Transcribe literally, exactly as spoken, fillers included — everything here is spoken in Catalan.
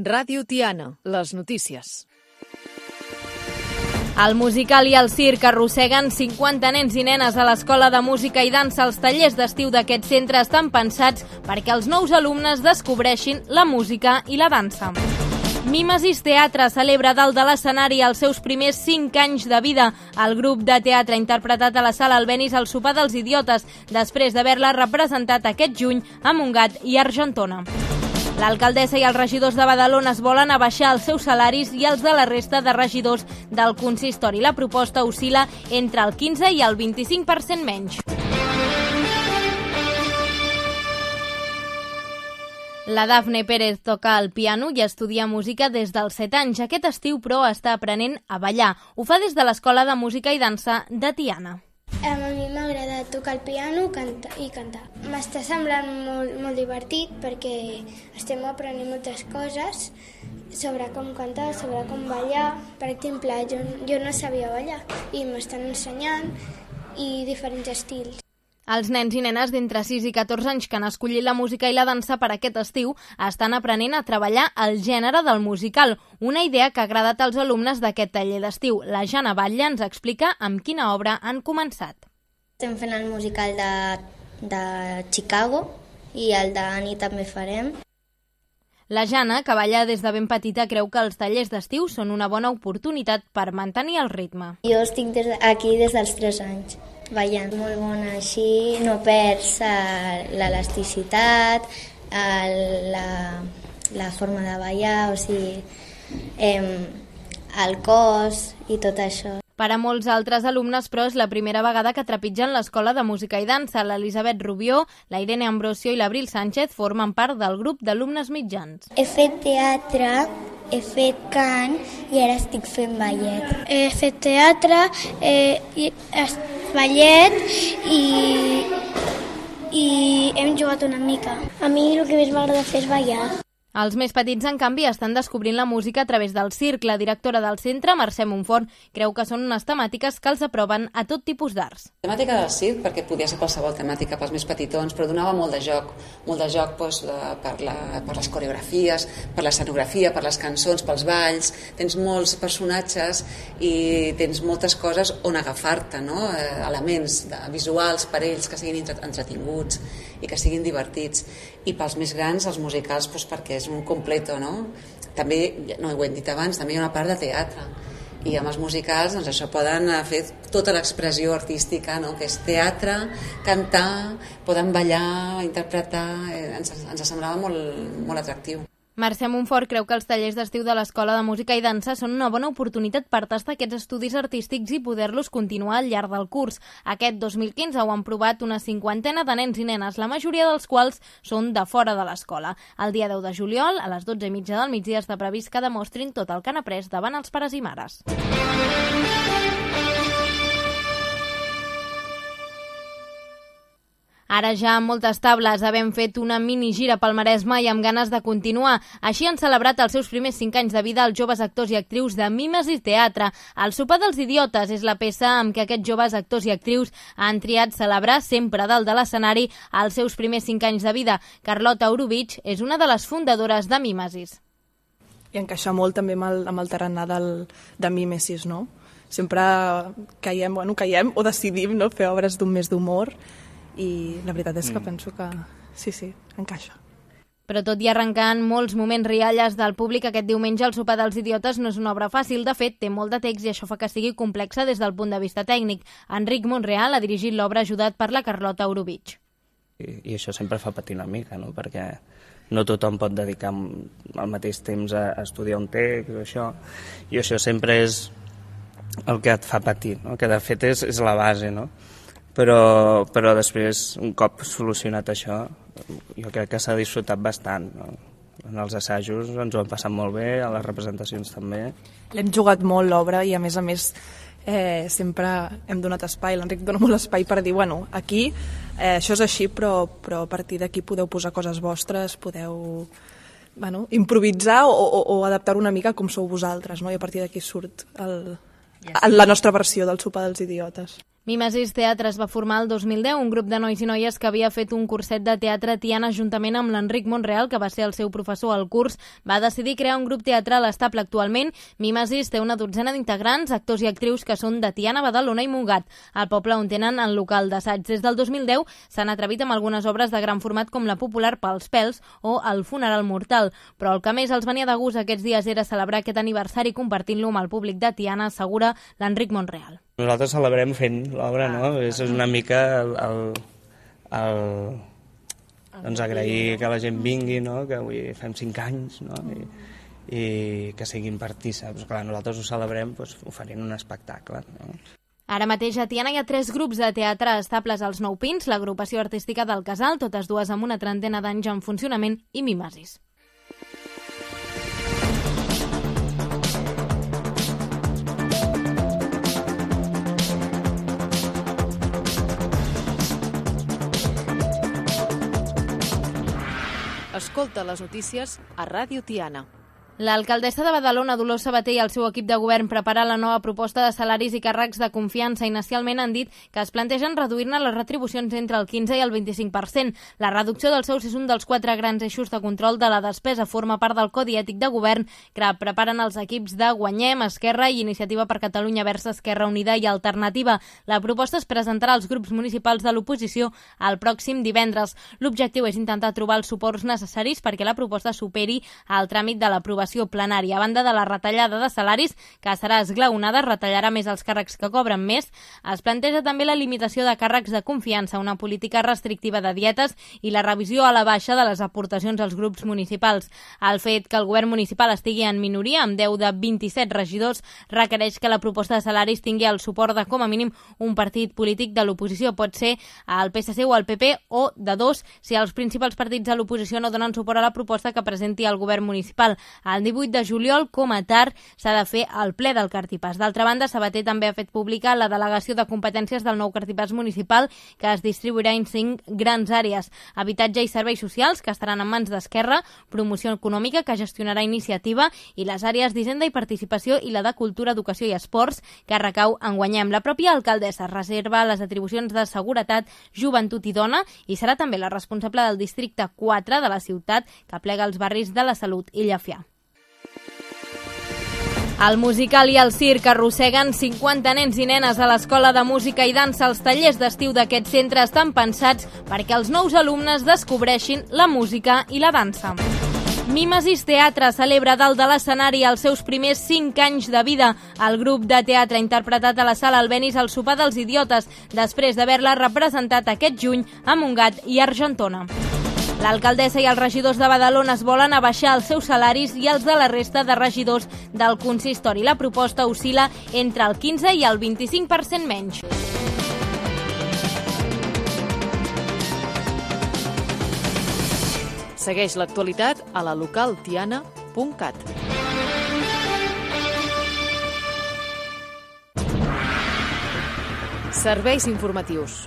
Ràdio Tiana, les notícies. El musical i el circ arrosseguen cinquanta nens i nenes a l'Escola de Música i Dansa. Els tallers d'estiu d'aquest centre estan pensats perquè els nous alumnes descobreixin la música i la dansa. Mimesis Teatre celebra dalt de l'escenari els seus primers cinc anys de vida. El grup de teatre ha interpretat a la Sala Albéniz el Sopar dels Idiotes, després d'haver-la representat aquest juny a Montgat i Argentona. L'alcaldessa i els regidors de Badalona es volen abaixar els seus salaris i els de la resta de regidors del consistori. La proposta oscil·la entre el quinze i el vint-i-cinc per cent menys. La Dafne Pérez toca el piano i estudia música des dels set anys. Aquest estiu, però, està aprenent a ballar. Ho fa des de l'Escola de Música i Dansa de Tiana. A mi m'agrada tocar el piano canta, i cantar. M'està semblant molt, molt divertit perquè estem aprenent moltes coses sobre com cantar, sobre com ballar. Per exemple, jo, jo no sabia ballar i m'estan ensenyant i diferents estils. Els nens i nenes d'entre sis i catorze anys que han escollit la música i la dansa per aquest estiu estan aprenent a treballar el gènere del musical, una idea que ha agradat als alumnes d'aquest taller d'estiu. La Jana Batlle ens explica amb quina obra han començat. Estem fent el musical de, de Chicago i el d'Annie també farem. La Jana, que balla des de ben petita, creu que els tallers d'estiu són una bona oportunitat per mantenir el ritme. Jo estic des de, aquí des dels tres anys. Ballant molt bona, així no perds l'elasticitat, la, la forma de ballar, o sigui, eh, el cos i tot això. Per a molts altres alumnes, però, és la primera vegada que trepitgen l'Escola de Música i Dansa. L'Elisabet Rubió, la Irene Ambrosio i l'Abril Sánchez formen part del grup d'alumnes mitjans. He fet teatre, he fet cant i ara estic fent ballet. He fet teatre, eh, i, ballet i, i hem jugat una mica. A mi el que més m'agrada fer és ballar. Els més petits, en canvi, estan descobrint la música a través del circ. La directora del centre, Mercè Montfort, creu que són unes temàtiques que els aproven a tot tipus d'arts. La temàtica del circ, perquè podia ser qualsevol temàtica pels més petitons, però donava molt de joc, molt de joc doncs, per, la, per les coreografies, per l'escenografia, per les cançons, pels balls. Tens molts personatges i tens moltes coses on agafar-te, no? Elements de, visuals per ells que siguin entretinguts i que siguin divertits. I pels més grans, els musicals, doncs, perquè és un completo, no? També, no ho hem dit abans, també hi ha una part de teatre. I amb els musicals, doncs això poden fer tota l'expressió artística, no? Que és teatre, cantar, poden ballar, interpretar, ens, ens semblava molt, molt atractiu. Mercè Montfort creu que els tallers d'estiu de l'Escola de Música i Dansa són una bona oportunitat per tastar aquests estudis artístics i poder-los continuar al llarg del curs. Aquest dos mil quinze ho han provat una cinquantena de nens i nenes, la majoria dels quals són de fora de l'escola. El dia deu de juliol, a les dotze i mitja del migdia, està previst que demostrin tot el que han après davant els pares i mares. Ara ja amb moltes tables, havent fet una mini gira pel Maresme i amb ganes de continuar. Així han celebrat els seus primers cinc anys de vida els joves actors i actrius de Mimesis Teatre. El Sopar dels Idiotes és la peça amb què aquests joves actors i actrius han triat celebrar sempre dalt de l'escenari els seus primers cinc anys de vida. Carlota Orubich és una de les fundadores de Mimesis. I encaixa molt també amb el, amb el tarannà del, de Mimesis, no? Sempre caiem, bueno, caiem o decidim, no?, fer obres d'un més d'humor. I la veritat és que mm. penso que sí, sí, encaixa. Però tot i arrencant molts moments rialles del públic, aquest diumenge el Sopar dels Idiotes no és una obra fàcil. De fet, té molt de text i això fa que sigui complexa des del punt de vista tècnic. Enric Monreal ha dirigit l'obra ajudat per la Carlota Orubich. I, I això sempre fa patir una mica, no? Perquè no tothom pot dedicar al mateix temps a, a estudiar un text o això. I això sempre és el que et fa patir, no? Que de fet és, és la base, no? Però, però després, un cop solucionat això, jo crec que s'ha disfrutat bastant, no? En els assajos ens ho hem passat molt bé, a les representacions també. L'hem jugat molt l'obra i a més a més eh, sempre hem donat espai, l'Enric dona molt espai per dir, bueno, aquí eh, això és així, però, però a partir d'aquí podeu posar coses vostres, podeu bueno, improvisar o, o, o adaptar una mica com sou vosaltres, no? I a partir d'aquí surt el, la nostra versió del Sopar dels Idiotes. Mimesis Teatre es va formar el dos mil deu, un grup de nois i noies que havia fet un curset de teatre a Tiana juntament amb l'Enric Montreal, que va ser el seu professor al curs. Va decidir crear un grup teatral estable actualment. Mimesis té una dotzena d'integrants, actors i actrius que són de Tiana, Badalona i Montgat, al poble on tenen el local d'assaig. Des del dos mil deu s'han atrevit amb algunes obres de gran format com la popular Pels pèls o El funeral mortal, però el que més els venia de gust aquests dies era celebrar aquest aniversari compartint-lo amb el públic de Tiana, assegura l'Enric Montreal. Nosaltres celebrem fent l'obra, no? És una mica el, el, el, doncs agrair que la gent vingui, no? Que avui fem cinc anys, no? I, i que siguin partícips. Clar, nosaltres ho celebrem doncs, oferint un espectacle, no? Ara mateix a Tiana hi ha tres grups de teatre estables als Nou Pins, l'agrupació artística del Casal, totes dues amb una trentena d'anys en funcionament, i Mimesis. Escolta les notícies a Ràdio Tiana. L'alcaldessa de Badalona, Dolors Sabater, i el seu equip de govern preparen la nova proposta de salaris i càrrecs de confiança. Inicialment han dit que es plantegen reduir-ne les retribucions entre el quinze i el vint-i-cinc per cent. La reducció dels sous és un dels quatre grans eixos de control de la despesa. Forma part del Codi Ètic de Govern que preparen els equips de Guanyem, Esquerra i Iniciativa per Catalunya Versa Esquerra Unida i Alternativa. La proposta es presentarà als grups municipals de l'oposició el pròxim divendres. L'objectiu és intentar trobar els suports necessaris perquè la proposta superi el tràmit de l'aprovació plenària. A banda de la retallada de salaris, que serà esglaonada, retallarà més els càrrecs que cobren més, es planteja també la limitació de càrrecs de confiança, una política restrictiva de dietes i la revisió a la baixa de les aportacions als grups municipals. El fet que el govern municipal estigui en minoria, amb deu de vint-i-set regidors, requereix que la proposta de salaris tingui el suport de, com a mínim, un partit polític de l'oposició. Pot ser el P S C o el P P, o de dos, si els principals partits de l'oposició no donen suport a la proposta que presenti el govern municipal. El divuit de juliol, com a tard, s'ha de fer el ple del Cartipàs. D'altra banda, Sabater també ha fet pública la delegació de competències del nou Cartipàs municipal, que es distribuirà en cinc grans àrees: habitatge i serveis socials, que estaran en mans d'Esquerra, promoció econòmica, que gestionarà Iniciativa, i les àrees d'Hisenda i Participació i la de Cultura, Educació i Esports, que recau en Guanyem. La pròpia alcaldessa reserva les atribucions de seguretat, joventut i dona, i serà també la responsable del districte quatre de la ciutat, que plega els barris de la Salut i Llafià. El musical i el circ arrosseguen cinquanta nens i nenes a l'Escola de Música i Dansa. Els tallers d'estiu d'aquest centre estan pensats perquè els nous alumnes descobreixin la música i la dansa. Mimesis Teatre celebra dalt de l'escenari els seus primers cinc anys de vida. El grup de teatre ha interpretat a la Sala Albéniz el Sopar dels Idiotes, després d'haver-la representat aquest juny a Montgat i Argentona. L'alcaldessa i els regidors de Badalona es volen abaixar els seus salaris i els de la resta de regidors del consistori. La proposta oscil·la entre el quinze i el vint-i-cinc per cent menys. Segueix l'actualitat a la local tiana punt cat. Serveis informatius.